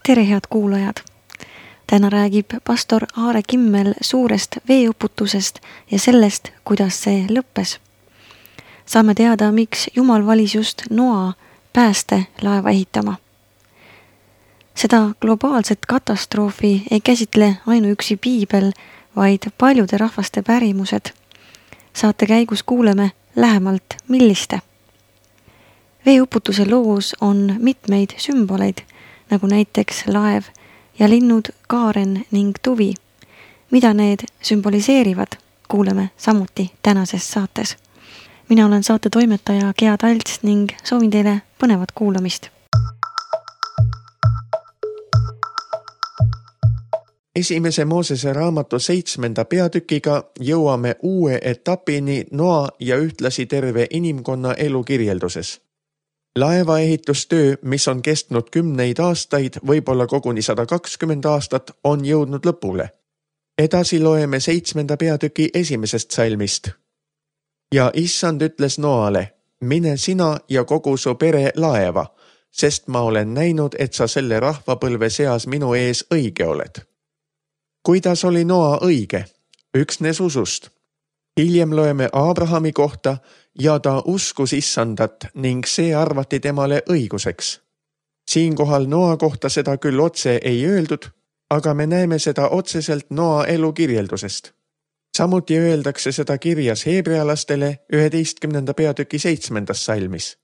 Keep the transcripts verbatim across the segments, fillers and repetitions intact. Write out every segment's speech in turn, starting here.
Tere head kuulajad! Täna räägib pastor Aare Kimmel suurest veeuputusest ja sellest, kuidas see lõppes. Saame teada, miks Jumal valis just Noa pääste laeva ehitama. Seda globaalset katastroofi ei käsitle ainuüksi piibel, vaid paljude rahvaste pärimused. Saate käigus kuuleme lähemalt, milliste. Veeuputuse loos on mitmeid sümboleid, nagu näiteks laev ja linnud kaaren ning tuvi. Mida need sümboliseerivad, kuuleme samuti tänases saates. Mina olen saate toimetaja Gea Talts ning soovin teile põnevat kuulamist. Esimese Moosese raamatu seitsmenda peatükiga jõuame uue etapini Noa ja ühtlasi terve inimkonna elu kirjelduses. Laevaehitustöö, mis on kestnud kümneid aastaid, võib-olla koguni sada kakskümmend aastat, on jõudnud lõpule. Edasi loeme seitsmenda peatüki esimesest salmist. Ja issand ütles Noale, mine sina ja kogu su pere laeva, sest ma olen näinud, et sa selle rahvapõlve seas minu ees õige oled. Kuidas oli Noa õige? Üksnes usust. Hiljem loeme Abrahami kohta ja ta uskus issandat ning see arvati temale õiguseks. Siinkohal Noa kohta seda küll otse ei öeldud, aga me näeme seda otseselt Noa elu kirjeldusest. Samuti öeldakse seda kirjas heebrealastele üheteistkümnenda peatüki seitsmendas salmis.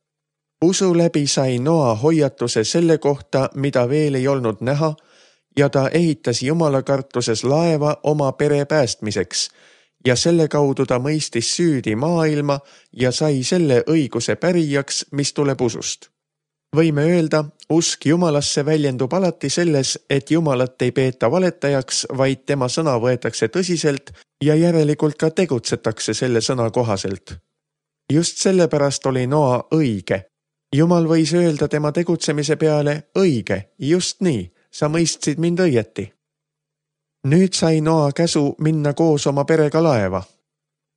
Usu läbi sai Noa hoiatuse selle kohta, mida veel ei olnud näha, ja ta ehitas Jumala kartuses laeva oma pere päästmiseks, ja selle kaudu ta mõistis süüdi maailma ja sai selle õiguse pärijaks, mis tuleb usust. Võime öelda, usk Jumalasse väljendub alati selles, et Jumalat ei peeta valetajaks, vaid tema sõna võetakse tõsiselt ja järelikult ka tegutsetakse selle sõna kohaselt. Just sellepärast oli Noa õige. Jumal võis öelda tema tegutsemise peale õige, just nii, sa mõistsid mind õieti. Nüüd sai Noa käsu minna koos oma perega laeva.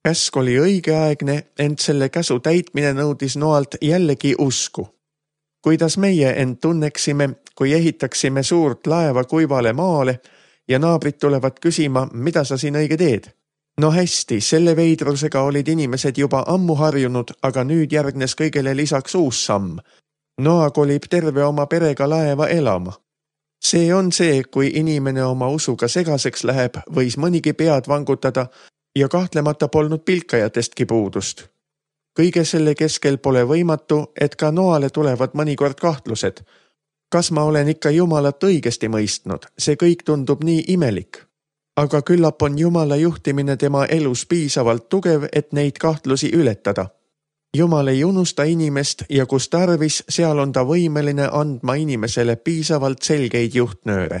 Käsk oli õigeaegne, ent selle käsu täitmine nõudis Noalt jällegi usku. Kuidas meie end tunneksime, kui ehitaksime suurt laeva kuivale maale ja naabrid tulevad küsima, mida sa siin õige teed? No hästi, selle veidrusega olid inimesed juba ammu harjunud, aga nüüd järgnes kõigele lisaks uus samm. Noa kolib terve oma perega laeva elama. See on see, kui inimene oma usuga segaseks läheb, võis mõnigi pead vangutada ja kahtlemata polnud pilkajatestki puudust. Kõige selle keskel pole võimatu, et ka Noale tulevad mõnikord kahtlused. Kas ma olen ikka Jumalat õigesti mõistnud? See kõik tundub nii imelik. Aga küllap on Jumala juhtimine tema elus piisavalt tugev, et neid kahtlusi ületada. Jumal ei unusta inimest ja kus tarvis, seal on ta võimeline andma inimesele piisavalt selgeid juhtnööre.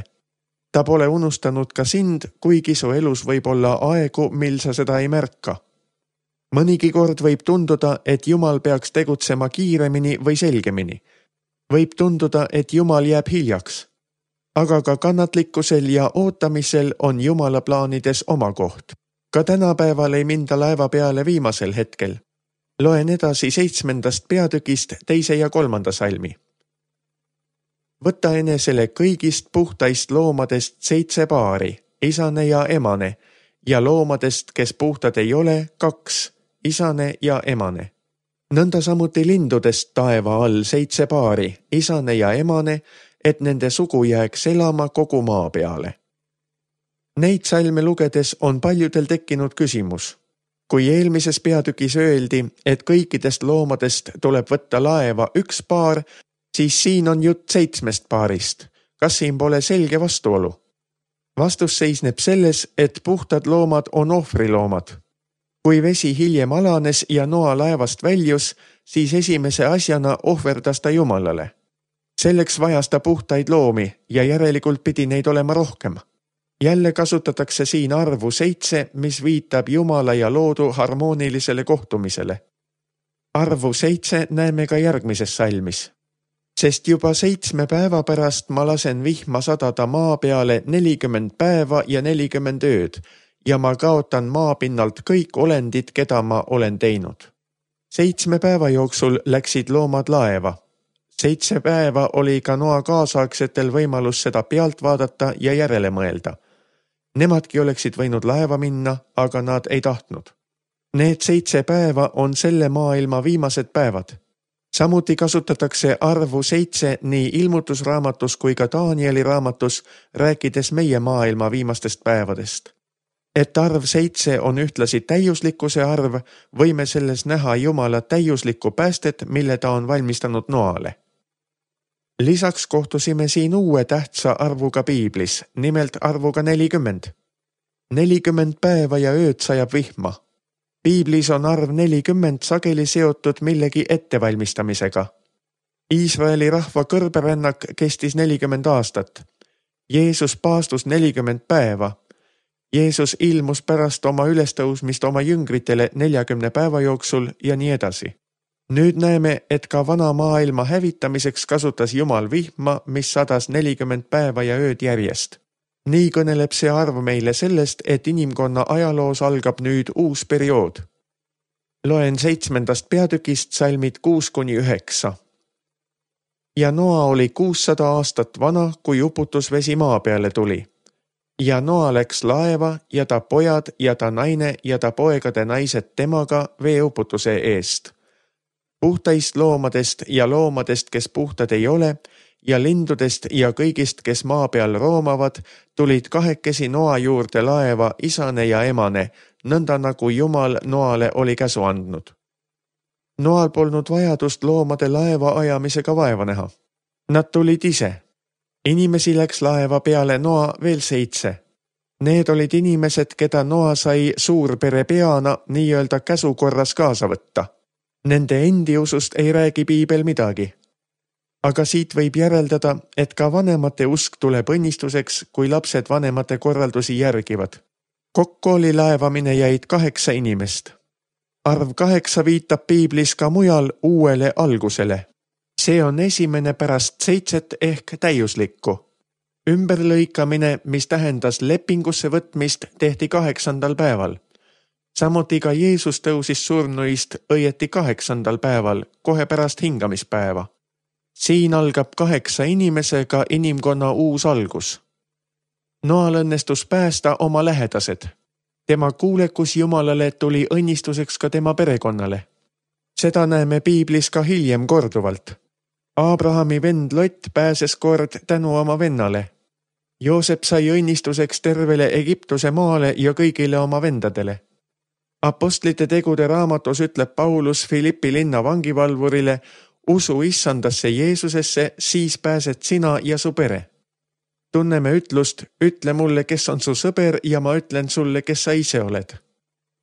Ta pole unustanud ka sind, kuigi su elus võib olla aegu, mil sa seda ei märka. Mõnigi kord võib tunduda, et Jumal peaks tegutsema kiiremini või selgemini. Võib tunduda, et Jumal jääb hiljaks. Aga ka kannatlikkusel ja ootamisel on Jumala plaanides oma koht. Ka tänapäeval ei minda laeva peale viimasel hetkel. Loen edasi seitsmendast peatükist teise ja kolmanda salmi. Võta enesele kõigist puhtaist loomadest seitse paari, isane ja emane, ja loomadest, kes puhtad ei ole, kaks, isane ja emane. Nõnda samuti lindudest taeva all seitse paari, isane ja emane, et nende sugu jääks elama kogu maa peale. Neid salme lugedes on paljudel tekkinud küsimus. Kui eelmises peatükis öeldi, et kõikidest loomadest tuleb võtta laeva üks paar, siis siin on jutt seitsmest paarist. Kas siin pole selge vastuolu? Vastus seisneb selles, et puhtad loomad on ohvriloomad. Kui vesi hiljem alanes ja Noa laevast väljus, siis esimese asjana ohverdas ta Jumalale. Selleks vajas ta puhtaid loomi ja järelikult pidi neid olema rohkem. Jälle kasutatakse siin arvu seitse, mis viitab Jumala ja loodu harmoonilisele kohtumisele. Arvu seitse näeme ka järgmises salmis. Sest juba seitsme päeva pärast ma lasen vihma sadada maa peale nelikümmend päeva ja nelikümmend ööd ja ma kaotan maapinnalt kõik olendid, keda ma olen teinud. Seitsme päeva jooksul läksid loomad laeva. Seitse päeva oli ka Noa kaasaegsetel võimalus seda pealt vaadata ja järele mõelda. Nemadki oleksid võinud laeva minna, aga nad ei tahtnud. Need seitse päeva on selle maailma viimased päevad. Samuti kasutatakse arvu seitse nii ilmutusraamatus kui ka Danieli raamatus, rääkides meie maailma viimastest päevadest. Et arv seitse on ühtlasi täiuslikkuse arv, võime selles näha Jumala täiuslikku päästet, mille ta on valmistanud Noale. Lisaks kohtusime siin uue tähtsa arvuga piiblis, nimelt arvuga nelikümmend. nelikümmend päeva ja ööd sajab vihma. Piiblis on arv nelikümmend sageli seotud millegi ettevalmistamisega. Iisraeli rahva kõrberännak kestis nelikümmend aastat. Jeesus paastus nelikümmend päeva. Jeesus ilmus pärast oma ülestõusmist oma jüngritele neljakümne päeva jooksul ja nii edasi. Nüüd näeme, et ka vana maailma hävitamiseks kasutas Jumal vihma, mis sadas nelikümmend päeva ja ööd järjest. Nii kõneleb see arv meile sellest, et inimkonna ajaloos algab nüüd uus periood. Loen seitsmendast peatükist salmid kuus kuni üheksa. Ja Noa oli kuussada aastat vana, kui uputusvesi maa peale tuli. Ja Noa läks laeva ja ta pojad ja ta naine ja ta poegade naised temaga veeuputuse eest. Puhtaist loomadest ja loomadest, kes puhtad ei ole, ja lindudest ja kõigist, kes maa peal roomavad, tulid kahekesi Noa juurde laeva isane ja emane, nõnda nagu Jumal Noale oli käsu andnud. Noal polnud vajadust loomade laeva ajamisega vaeva näha. Nad tulid ise. Inimesi läks laeva peale Noa veel seitse. Need olid inimesed, keda Noa sai suurpere peana nii-öelda käsukorras kaasa võtta. Nende endi usust ei räägi piibel midagi. Aga siit võib järeldada, et ka vanemate usk tuleb õnnistuseks, kui lapsed vanemate korraldusi järgivad. Kokku oli laevamine jäid kaheksa inimest. Arv kaheksa viitab piiblis ka mujal uuele algusele. See on esimene pärast seitset ehk täiuslikku. Ümberlõikamine, mis tähendas lepingusse võtmist, tehti kaheksandal päeval. Samuti ka Jeesus tõusis surnuist õieti kaheksandal päeval, kohe pärast hingamispäeva. Siin algab kaheksa inimesega inimkonna uus algus. Noal õnnestus päästa oma lähedased. Tema kuulekus Jumalale tuli õnnistuseks ka tema perekonnale. Seda näeme piiblis ka hiljem korduvalt. Abrahami vend Lot pääses kord tänu oma vennale. Joosep sai õnnistuseks tervele Egiptuse maale ja kõigile oma vendadele. Apostlite tegude raamatus ütleb Paulus Filippi linna vangivalvurile, usu issandasse Jeesusesse, siis pääsed sina ja su pere. Tunneme ütlust, ütle mulle, kes on su sõber ja ma ütlen sulle, kes sa ise oled.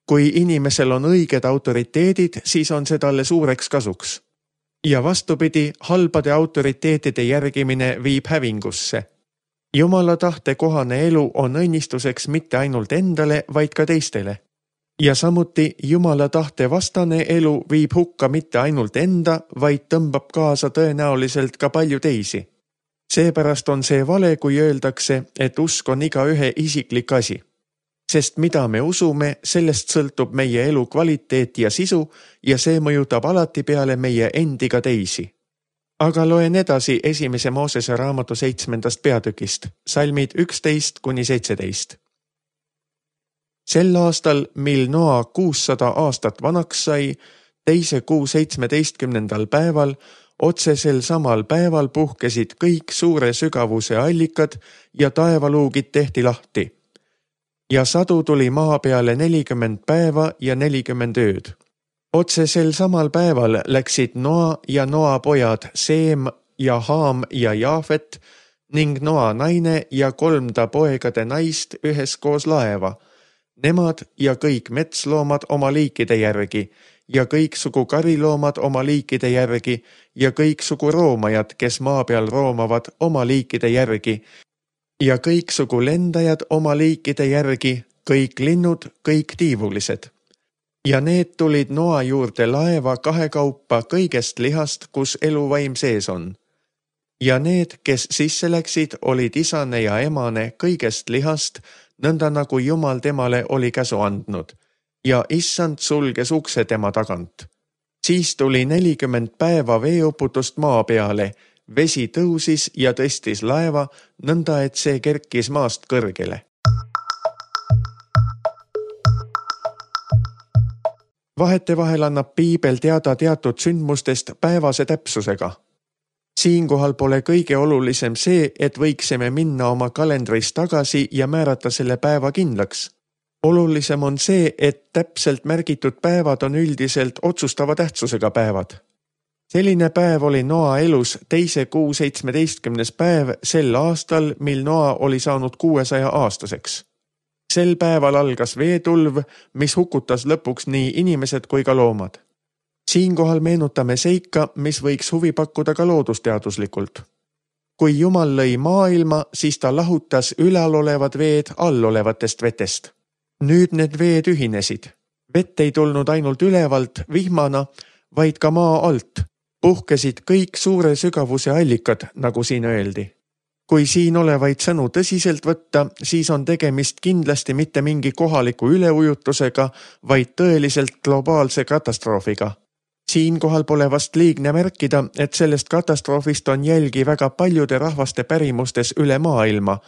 Kui inimesel on õiged autoriteedid, siis on see talle suureks kasuks. Ja vastupidi, halbade autoriteetide järgimine viib hävingusse. Jumala tahte kohane elu on õnnistuseks mitte ainult endale, vaid ka teistele. Ja samuti Jumala tahte vastane elu viib hukka mitte ainult enda, vaid tõmbab kaasa tõenäoliselt ka palju teisi. Seepärast on see vale, kui öeldakse, et usk on iga ühe isiklik asi. Sest mida me usume, sellest sõltub meie elu kvaliteet ja sisu ja see mõjutab alati peale meie endiga teisi. Aga loen edasi esimese Moosese raamatu seitsmendast peatükist, salmid üksteist kuni seitseteist. Sel aastal, mil Noa kuussada aastat vanaks sai, teise kuu seitsmeteistkümnendal päeval, otsesel samal päeval puhkesid kõik suure sügavuse allikad ja taevaluugid tehti lahti. Ja sadu tuli maa peale nelikümmend päeva ja nelikümmend ööd. Otsesel samal päeval läksid Noa ja Noa pojad Seem ja Haam ja Jaafet ning Noa naine ja kolm ta poegade naist üheskoos laeva. Nemad ja kõik metsloomad oma liikide järgi ja kõik sugu kariloomad oma liikide järgi ja kõik sugu roomajad, kes maa peal roomavad oma liikide järgi ja kõik sugu lendajad oma liikide järgi, kõik linnud, kõik tiivulised. Ja need tulid Noa juurde laeva kahekaupa kõigest lihast, kus eluvaim sees on. Ja need, kes sisse läksid, olid isane ja emane kõigest lihast, nõnda nagu Jumal temale oli käsu andnud, ja issand sulges ukse tema tagant. Siis tuli nelikümmend päeva veeuputust maa peale, vesi tõusis ja tõstis laeva, nõnda et see kerkis maast kõrgele. Vahetevahel annab piibel teada teatud sündmustest päevase täpsusega. Siinkohal pole kõige olulisem see, et võiksime minna oma kalendris tagasi ja määrata selle päeva kindlaks. Olulisem on see, et täpselt märgitud päevad on üldiselt otsustava tähtsusega päevad. Selline päev oli Noa elus teise kuu seitsmeteistkümnes päev sel aastal, mil Noa oli saanud kuuesaja aastaseks. Sel päeval algas veetulv, mis hukutas lõpuks nii inimesed kui ka loomad. Siinkohal meenutame seika, mis võiks huvi pakkuda ka loodusteaduslikult. Kui Jumal lõi maailma, siis ta lahutas ülalolevad veed allolevatest vetest. Nüüd need veed ühinesid. Vett ei tulnud ainult ülevalt vihmana, vaid ka maa alt. Puhkesid kõik suure sügavuse allikad, nagu siin öeldi. Kui siin olevaid sõnu tõsiselt võtta, siis on tegemist kindlasti mitte mingi kohaliku üleujutusega, vaid tõeliselt globaalse katastroofiga. Siinkohal pole vast liigne märkida, et sellest katastroofist on jälgi väga paljude rahvaste pärimustes üle maailma,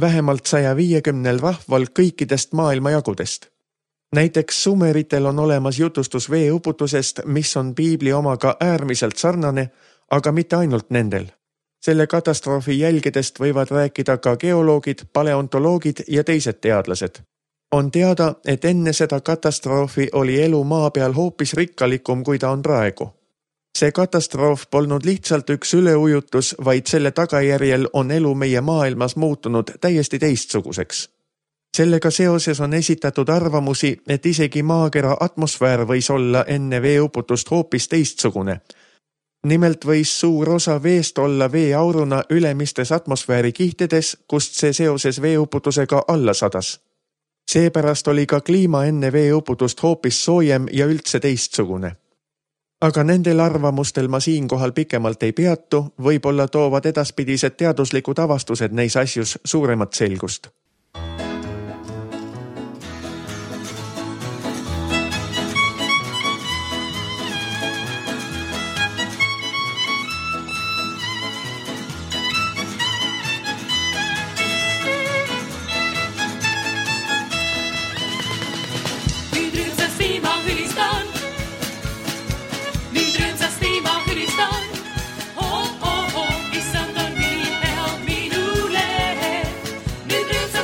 vähemalt saja viiekümnel rahval kõikidest maailmajagudest. Näiteks sumeritel on olemas jutustus veeuputusest, mis on piibli omaga äärmiselt sarnane, aga mitte ainult nendel. Selle katastroofi jälgedest võivad rääkida ka geoloogid, paleontoloogid ja teised teadlased. On teada, et enne seda katastroofi oli elu maa peal hoopis rikkalikum, kui ta on praegu. See katastroof polnud lihtsalt üks üleujutus, vaid selle tagajärjel on elu meie maailmas muutunud täiesti teistsuguseks. Sellega seoses on esitatud arvamusi, et isegi maakera atmosfäär võis olla enne veeuputust hoopis teistsugune. Nimelt võis suur osa veest olla veeauruna ülemistes atmosfääri kihtides, kust see seoses veeuputusega alla sadas. Seepärast oli ka kliima enne veeuputust hoopis soojem ja üldse teistsugune. Aga nendel arvamustel ma siinkohal pikemalt ei peatu, võib-olla toovad edaspidised teaduslikud avastused neis asjus suuremat selgust. Nyt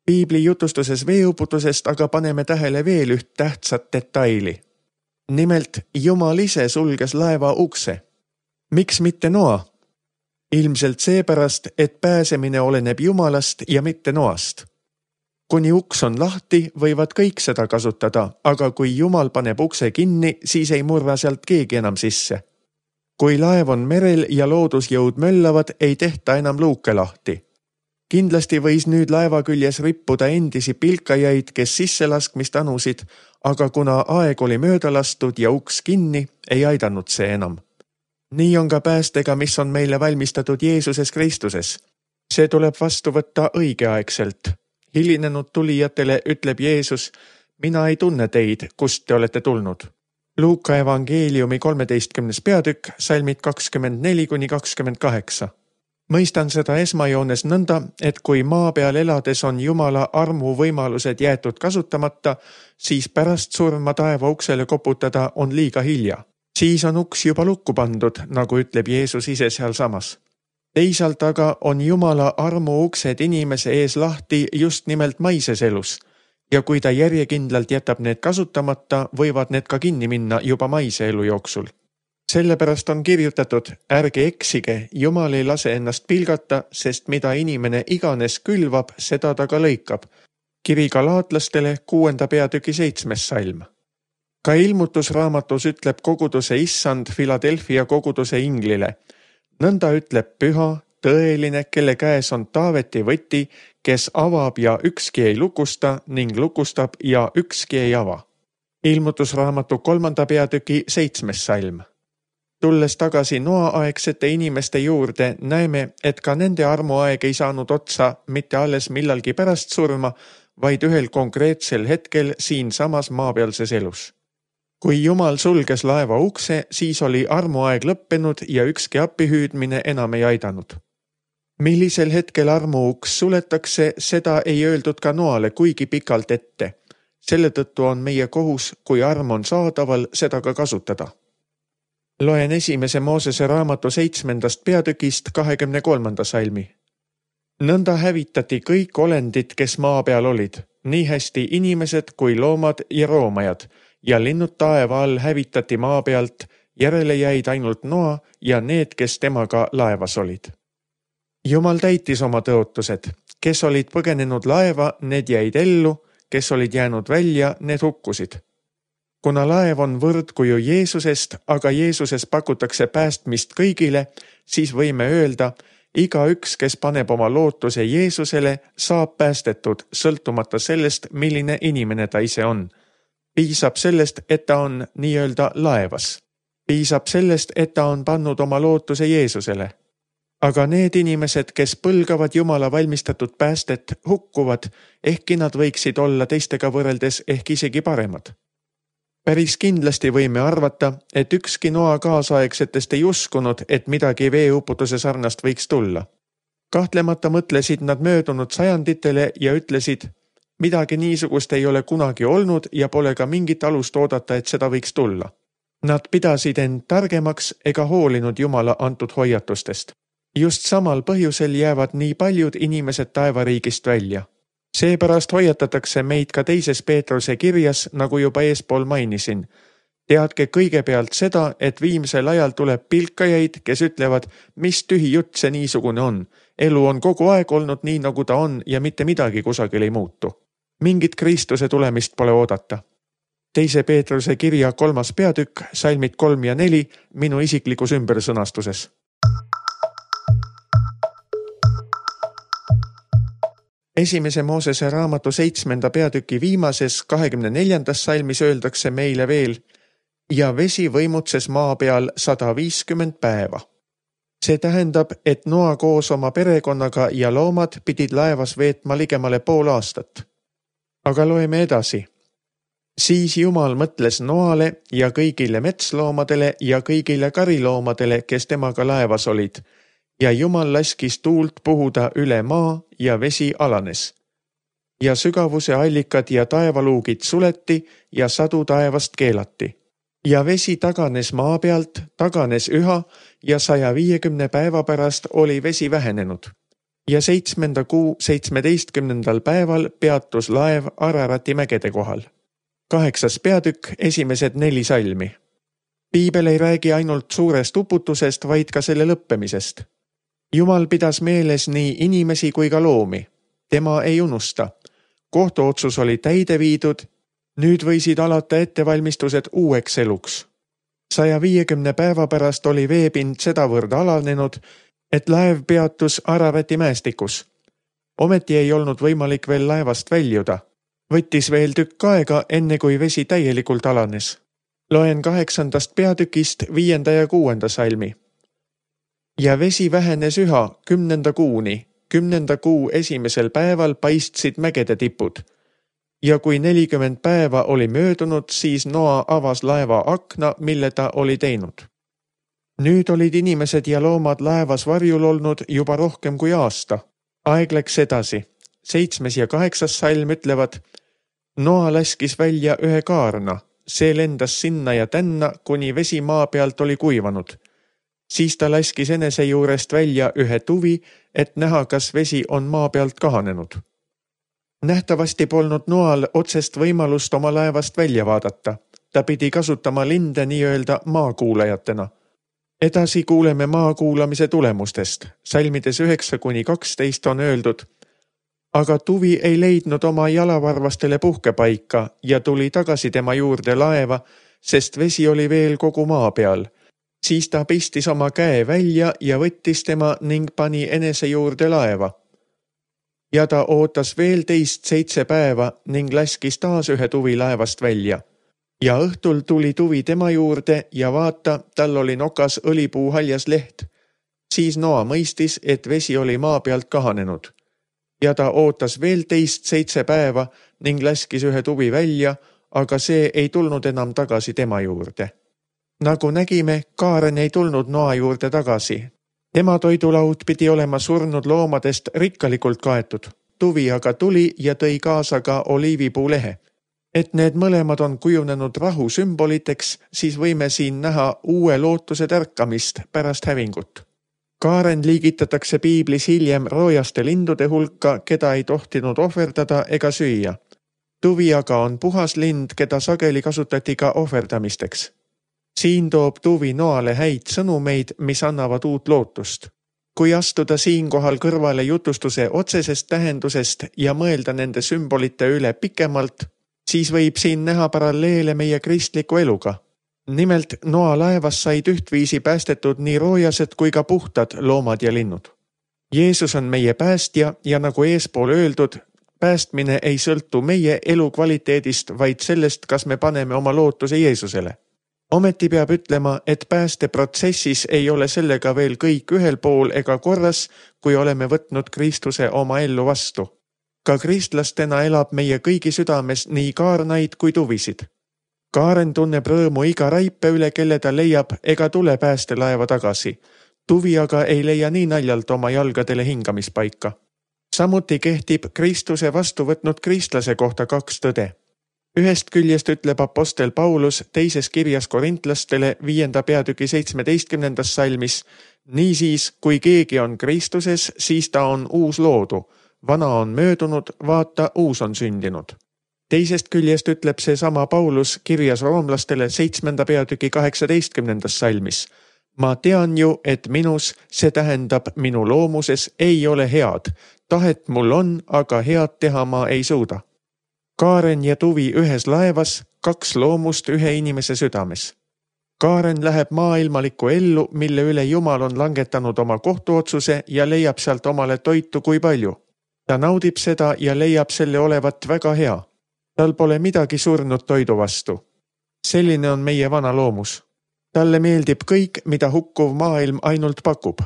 Piibli jutustuses veeuputusest aga paneme tähele veel üht tähtsat detaili. Nimelt Jumal ise sulges laeva ukse. Miks mitte Noa? Ilmselt seepärast, et pääsemine oleneb Jumalast ja mitte Noast. Kuni uks on lahti, võivad kõik seda kasutada, aga kui Jumal paneb ukse kinni, siis ei murra sealt keegi enam sisse. Kui laev on merel ja loodusjõud möllavad, ei tehta enam luuke lahti. Kindlasti võis nüüd laeva küljes rippuda endisi pilkajaid, kes sisselaskmist anusid, aga kuna aeg oli mööda lastud ja uks kinni, ei aidanud see enam. Nii on ka päästega, mis on meile valmistatud Jeesuses Kristuses. See tuleb vastu võtta õigeaegselt. Hilinenud tulijatele ütleb Jeesus, mina ei tunne teid, kust te olete tulnud. Luuka evangeeliumi kolmeteistkümnes peatükk, salmid kakskümmend neli kuni kakskümmend kaheksa. Mõistan seda esmajoones nõnda, et kui maa peal elades on Jumala armu võimalused jäetud kasutamata, siis pärast surma taeva uksele koputada on liiga hilja. Siis on uks juba lukku pandud, nagu ütleb Jeesus ise seal samas. Teisalt aga on Jumala armu uksed inimese ees lahti just nimelt maises elus ja kui ta järjekindlalt jätab need kasutamata, võivad need ka kinni minna juba maise elu jooksul. Sellepärast on kirjutatud, ärge eksige, Jumal ei lase ennast pilgata, sest mida inimene iganes külvab, seda ta ka lõikab. Kiri galaatlastele kuuenda peatüki seitsmes salm. Ka ilmutusraamatus ütleb koguduse issand Philadelphia koguduse inglile. Nõnda ütleb püha, tõeline, kelle käes on Taaveti võti, kes avab ja ükski ei lukusta ning lukustab ja ükski ei ava. Ilmutusraamatu kolmanda peatüki seitsmes salm. Tulles tagasi Noa-aegsete inimeste juurde, näeme, et ka nende armuaeg ei saanud otsa mitte alles millalgi pärast surma, vaid ühel konkreetsel hetkel siin samas maapealses elus. Kui Jumal sulges laeva ukse, siis oli armuaeg lõppenud ja ükski appihüüdmine enam ei aidanud. Millisel hetkel armuuks suletakse, seda ei öeldud ka Noale kuigi pikalt ette. Selle tõttu on meie kohus, kui arm on saadaval, seda ka kasutada. Loen esimese Moosese raamatu seitsmendast peatükist kahekümne kolmanda salmi. Nõnda hävitati kõik olendid, kes maa peal olid, nii hästi inimesed kui loomad ja roomajad, ja linnud taeva all hävitati maa pealt, järele jäid ainult Noa ja need, kes temaga laevas olid. Jumal täitis oma tõotused, kes olid põgenenud laeva, need jäid ellu, kes olid jäänud välja, need hukkusid. Kuna laev on võrdkuju Jeesusest, aga Jeesuses pakutakse päästmist kõigile, siis võime öelda, iga üks, kes paneb oma lootuse Jeesusele, saab päästetud, sõltumata sellest, milline inimene ta ise on. Piisab sellest, et ta on nii-öelda laevas. Piisab sellest, et ta on pannud oma lootuse Jeesusele. Aga need inimesed, kes põlgavad Jumala valmistatud päästet, hukkuvad, ehkki nad võiksid olla teistega võrreldes ehk isegi paremad. Päris kindlasti võime arvata, et ükski Noa kaasaegsetest ei uskunud, et midagi veeuputuse sarnast võiks tulla. Kahtlemata mõtlesid nad möödunud sajanditele ja ütlesid, midagi niisugust ei ole kunagi olnud ja pole ka mingit alust oodata, et seda võiks tulla. Nad pidasid end targemaks ega hoolinud Jumala antud hoiatustest. Just samal põhjusel jäävad nii paljud inimesed taevariigist välja. Seepärast hoiatatakse meid ka teises Peetruse kirjas, nagu juba eespool mainisin. Teadke kõigepealt seda, et viimsel ajal tuleb pilkajaid, kes ütlevad, mis tühi jutt see niisugune on. Elu on kogu aeg olnud nii, nagu ta on ja mitte midagi kusagil ei muutu. Mingit Kristuse tulemist pole oodata. Teise Peetruse kirja kolmas peatükk, salmid kolm ja neli, minu isiklikus ümbersõnastuses. Esimese Moosese raamatu seitsmenda peatüki viimases kahekümne neljandas salmis öeldakse meile veel ja vesi võimutses maa peal sada viiskümmend päeva. See tähendab, et Noa koos oma perekonnaga ja loomad pidid laevas veetma ligemale pool aastat. Aga loeme edasi. Siis Jumal mõtles Noale ja kõigile metsloomadele ja kõigile kariloomadele, kes temaga laevas olid, ja Jumal laskis tuult puhuda üle maa ja vesi alanes. Ja sügavuse allikad ja taevaluugid suleti ja sadu taevast keelati. Ja vesi taganes maa pealt, taganes üha ja saja viiekümne päeva pärast oli vesi vähenenud. ja seitsmenda kuu seitsmeteistkümnendal päeval peatus laev Ararati mägede kohal. Kaheksas peatükk, esimesed neli salmi. Piibel ei räägi ainult suurest uputusest, vaid ka selle lõppemisest. Jumal pidas meeles nii inimesi kui ka loomi. Tema ei unusta. Kohtuotsus oli täide viidud, nüüd võisid alata ettevalmistused uueks eluks. saja viiekümne päeva pärast oli veepind sedavõrd alanenud, et laev peatus Ararati mäestikus. Ometi ei olnud võimalik veel laevast väljuda. Võttis veel tükk aega, enne kui vesi täielikult alanes. Loen kaheksandast peatükist viienda ja kuuenda salmi. Ja vesi vähenes üha kümnenda kuuni. Kümnenda kuu esimesel päeval paistsid mägede tipud. Ja kui nelikümmend päeva oli möödunud, siis Noa avas laeva akna, mille ta oli teinud. Nüüd olid inimesed ja loomad laevas varjul olnud juba rohkem kui aasta. Aeg läks edasi. Seitsmes ja kaheksas salm ütlevad, Noa laskis välja ühe kaarna. See lendas sinna ja tänna, kuni vesi maa pealt oli kuivanud. Siis ta laskis enese juurest välja ühe tuvi, et näha, kas vesi on maa pealt kahanenud. Nähtavasti polnud Noal otsest võimalust oma laevast välja vaadata. Ta pidi kasutama linde nii-öelda maakuulajatena. Edasi kuuleme maakuulamise tulemustest. Salmides üheksa kuni kaksteist on öeldud, aga tuvi ei leidnud oma jalavarvastele puhkepaika ja tuli tagasi tema juurde laeva, sest vesi oli veel kogu maa peal. Siis ta pistis oma käe välja ja võttis tema ning pani enese juurde laeva. Ja ta ootas veel teist seitse päeva ning laskis taas ühe tuvi laevast välja. Ja õhtul tuli tuvi tema juurde ja vaata, tal oli nokas õlipuu haljas leht. Siis Noa mõistis, et vesi oli maa pealt kahanenud. Ja ta ootas veel teist seitse päeva ning laskis ühe tuvi välja, aga see ei tulnud enam tagasi tema juurde. Nagu nägime, Kaaren ei tulnud Noa juurde tagasi. Tema toidulaud pidi olema surnud loomadest rikkalikult kaetud. Tuvi aga tuli ja tõi kaasa ka oliivipuu lehe. Et need mõlemad on kujunenud rahu sümboliteks, siis võime siin näha uue lootuse tärkamist pärast hävingut. Kaaren liigitatakse piiblis hiljem roojaste lindude hulka, keda ei tohtinud ohverdada ega süüa. Tuvi aga on puhas lind, keda sageli kasutati ka ohverdamisteks. Siin toob tuvi Noale häid sõnumeid, mis annavad uut lootust. Kui astuda siinkohal kõrvale jutustuse otsesest tähendusest ja mõelda nende sümbolite üle pikemalt, siis võib siin näha paralleele meie kristliku eluga. Nimelt Noa laevas said ühtviisi päästetud nii roojased kui ka puhtad loomad ja linnud. Jeesus on meie päästja ja nagu eespool öeldud, päästmine ei sõltu meie elu kvaliteedist, vaid sellest, kas me paneme oma lootuse Jeesusele. Ometi peab ütlema, et päästeprotsessis ei ole sellega veel kõik ühel pool ega korras, kui oleme võtnud Kristuse oma ellu vastu. Ka kristlastena elab meie kõigi südames nii kaarnaid kui tuvisid. Kaaren tunneb rõõmu iga raipe üle, kelle ta leiab ega tule päästelaeva tagasi. Tuvi aga ei leia nii naljalt oma jalgadele hingamispaika. Samuti kehtib Kristuse vastu võtnud kristlase kohta kaks tõde. Ühest küljest ütleb apostel Paulus teises kirjas korintlastele viienda peatüki seitsmeteistkümnendas salmis, niisiis, kui keegi on Kristuses, siis ta on uus loodu. Vana on möödunud, vaata, uus on sündinud. Teisest küljest ütleb see sama Paulus kirjas roomlastele seitsmenda peatüki kaheksateistkümnendas salmis. Ma tean ju, et minus, see tähendab minu loomuses, ei ole head. Tahet mul on, aga head teha ma ei suuda. Kaaren ja tuvi ühes laevas, kaks loomust ühe inimese südames. Kaaren läheb maailmalikku ellu, mille üle Jumal on langetanud oma kohtuotsuse ja leiab sealt omale toitu kui palju. Ta naudib seda ja leiab selle olevat väga hea. Tal pole midagi surnud toidu vastu. Selline on meie vana loomus. Talle meeldib kõik, mida hukkuv maailm ainult pakub.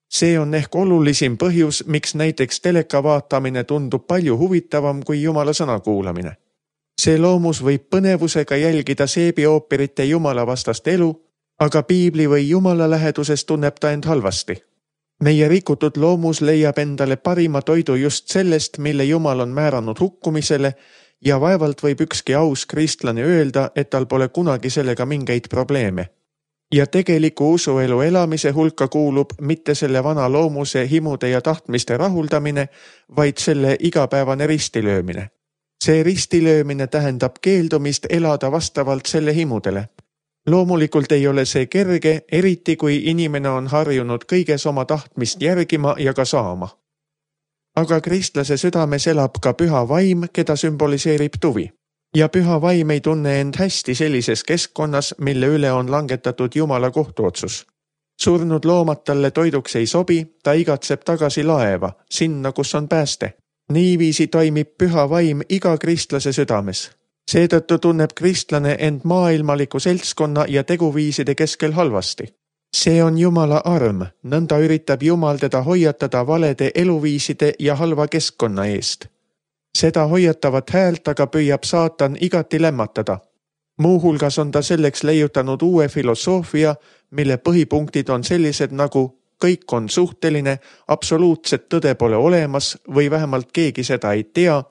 See on ehk olulisim põhjus, miks näiteks teleka vaatamine tundub palju huvitavam kui Jumala sõna kuulamine. See loomus võib põnevusega jälgida seebiooperite Jumala vastast elu, aga piibli või Jumala läheduses tunneb ta end halvasti. Meie rikutud loomus leiab endale parima toidu just sellest, mille Jumal on määranud hukkumisele ja vaevalt võib ükski aus kristlane öelda, et tal pole kunagi sellega mingeid probleeme. Ja tegeliku usuelu elamise hulka kuulub mitte selle vana loomuse himude ja tahtmiste rahuldamine, vaid selle igapäevane ristilöömine. See ristilöömine tähendab keeldumist elada vastavalt selle himudele. Loomulikult ei ole see kerge, eriti kui inimene on harjunud kõiges oma tahtmist järgima ja ka saama. Aga kristlase südames elab ka püha vaim, keda sümboliseerib tuvi. Ja püha vaim ei tunne end hästi sellises keskkonnas, mille üle on langetatud Jumala kohtuotsus. Surnud loomad talle toiduks ei sobi, ta igatseb tagasi laeva, sinna, kus on pääste. Niiviisi toimib püha vaim iga kristlase südames. Seetõttu tunneb kristlane end maailmaliku seltskonna ja teguviiside keskel halvasti. See on Jumala arm, nõnda üritab Jumal teda hoiatada valede eluviiside ja halva keskkonna eest. Seda hoiatavat häält aga püüab saatan igati lämmatada. Muuhulgas on ta selleks leiutanud uue filosoofia, mille põhipunktid on sellised nagu kõik on suhteline, absoluutset tõde pole olemas või vähemalt keegi seda ei tea,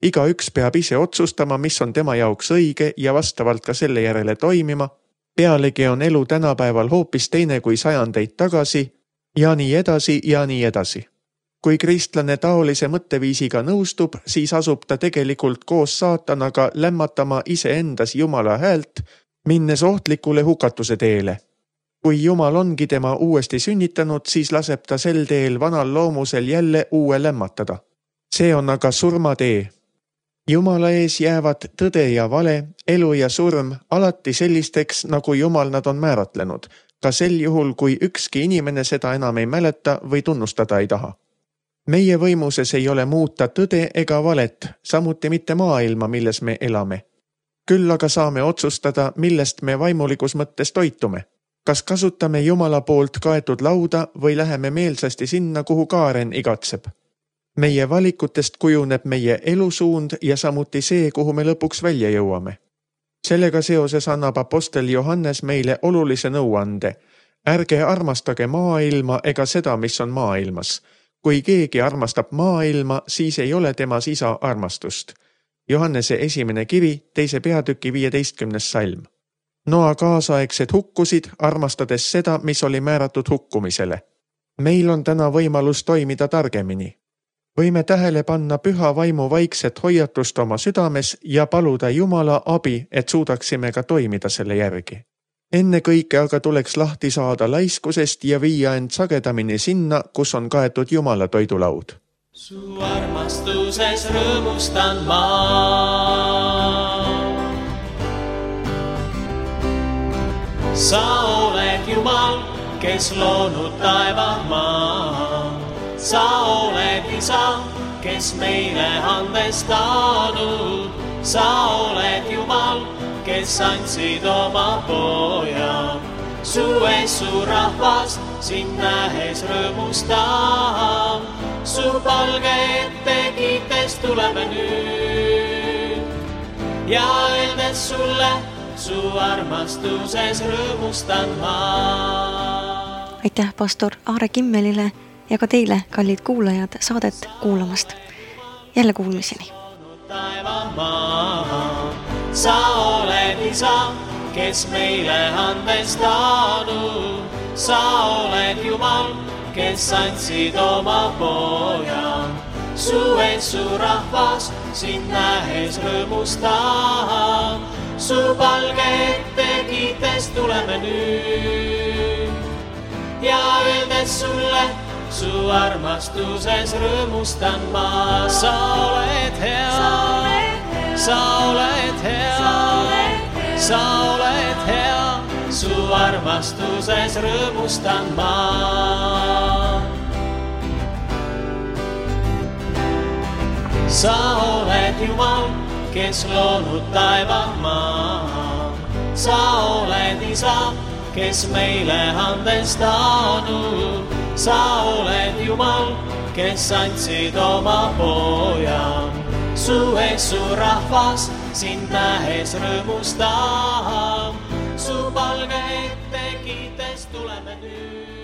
iga üks peab ise otsustama, mis on tema jaoks õige ja vastavalt ka selle järele toimima, pealegi on elu tänapäeval hoopis teine kui sajandeid tagasi ja nii edasi ja nii edasi. Kui kristlane taolise mõtteviisiga nõustub, siis asub ta tegelikult koos saatanaga lämmatama iseendas Jumala häält, minnes ohtlikule hukatuse teele. Kui Jumal ongi tema uuesti sünnitanud, siis laseb ta sel teel vanal loomusel jälle uue lämmatada. See on aga surmatee. Jumala ees jäävad tõde ja vale, elu ja surm alati sellisteks, nagu Jumal nad on määratlenud, ka sel juhul, kui ükski inimene seda enam ei mäleta või tunnustada ei taha. Meie võimuses ei ole muuta tõde ega valet, samuti mitte maailma, milles me elame. Küll aga saame otsustada, millest me vaimulikus mõttes toitume. Kas kasutame Jumala poolt kaetud lauda või läheme meelsasti sinna, kuhu kaaren igatseb? Meie valikutest kujuneb meie elusuund ja samuti see, kuhu me lõpuks välja jõuame. Sellega seoses annab apostel Johannes meile olulise nõuande. Ärge armastage maailma ega seda, mis on maailmas. Kui keegi armastab maailma, siis ei ole temas isa armastust. Johannese esimene kiri, teise peatüki viieteistkümnes salm. Noa kaasaegsed hukkusid, armastades seda, mis oli määratud hukkumisele. Meil on täna võimalus toimida targemini. Võime tähele panna püha vaimu vaikset hoiatust oma südames ja paluda Jumala abi, et suudaksime ka toimida selle järgi. Enne kõike aga tuleks lahti saada laiskusest ja viia end sagedamini sinna, kus on kaetud Jumala toidulaud. Su armastuses rõõmustan ma. Sa oled Jumal, kes loonud taeva maa. Sa oled isa, kes meile andestanud. Sa oled Jumal, kes andsid oma poja. Su ees su rahvas sind nähes rõõmustab. Su palge ette kiites tuleme nüüd. Ja öeldes sulle, su armastuses rõõmustan ma. Aitäh pastor Aare Kimmelile ja ka teile, kallid kuulajad, saadet kuulamast. Jälle kuulmiseni. Sa oled isa, kes meile andestanud. Sa oled Jumal, kes andsid oma poja. Su ees su rahvas sind nähes rõõmustab. Su palge ette kiites tuleme nüüd. Ja öeldes sulle, su armastuses rõõmustan ma. Sa oled hea, sa oled hea, sa oled hea, su armastuses rõõmustan ma. Sa oled Jumal, kes loonud taeva maa. Sa oled isa, kes meile andestanud. Sa oled Jumal, kes andsid oma poja. Su ees su rahvas sind nähes rõõmustab. Su palge ette kiites tuleme nüüd.